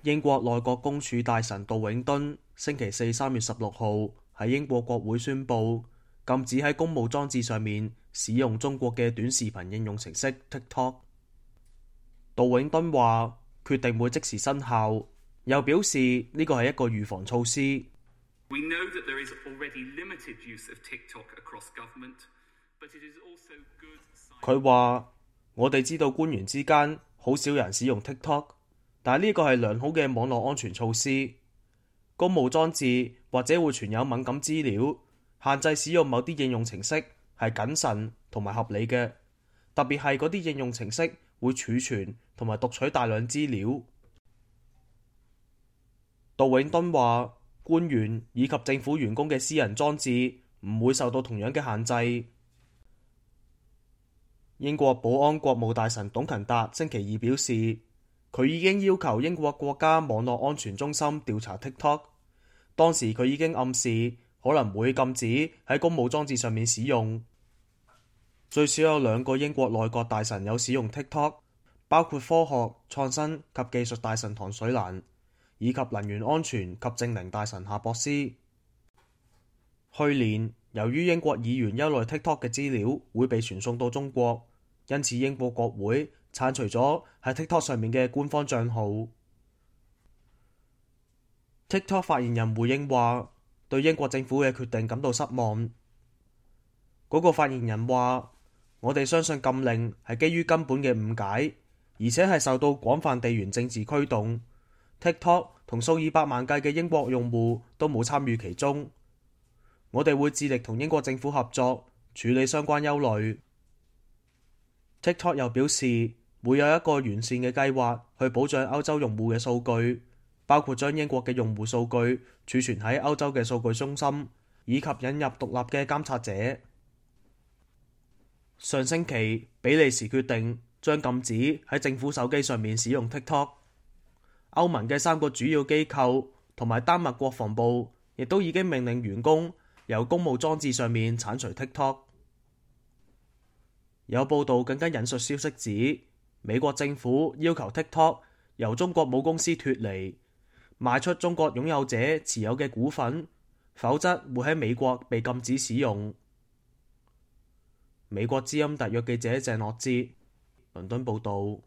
英國內閣公署大臣杜永敦星期四3月16號喺英國國會宣布禁止喺公務裝置上面使用中國嘅短視頻應用程式 TikTok。杜永敦話決定會即時生效，又表示呢個係一個預防措施。佢話我哋知道官員之間好少人使用 TikTok， 但係呢個係良好嘅網絡安全措施。公務裝置或者會存有敏感資料，限制使用某啲應用程式係謹慎同埋合理嘅，特別係嗰啲應用程式會儲存同埋讀取大量資料。杜永敦話官員以及政府員工嘅私人裝置唔會受到同樣嘅限制。英國保安國務大臣董勤達星期二表示，佢已經要求英國國家網絡安全中心調查 TikTok。當時佢已經暗示可能會禁止喺公務裝置上面使用。最少有2個英國內閣大臣有使用 TikTok， 包括科學、創新及技術大臣唐水蘭以及能源安全及淨零大臣夏博斯。去年，由於英國議員憂慮 TikTok 嘅資料會被傳送到中國，因此英國國會剷除咗喺 TikTok 上面嘅官方帳號。TikTok 發言人回應話，對英國政府嘅決定感到失望。嗰個發言人話，我哋相信禁令係基於根本嘅誤解，而且係受到廣泛地緣政治驅動。TikTok 同數以百萬計嘅英國用戶都冇參與其中。我哋會致力同英國政府合作，處理相關憂慮。TikTok 又表示會有一個完善嘅計劃去保障歐洲用戶嘅數據，包括將英國嘅用戶數據儲存喺歐洲嘅數據中心，以及引入獨立嘅監察者。上星期，比利時決定將禁止喺政府手機上面使用 TikTok。歐盟嘅3個主要機構同埋丹麥國防部亦都已經命令員工由公務裝置上面剷除 TikTok。有報道更加引述消息指，美國政府要求 TikTok 由中國母公司脫離，賣出中國擁有者持有嘅股份，否則會喺美國被禁止使用。美國之音特約記者鄭樂哲，倫敦報導。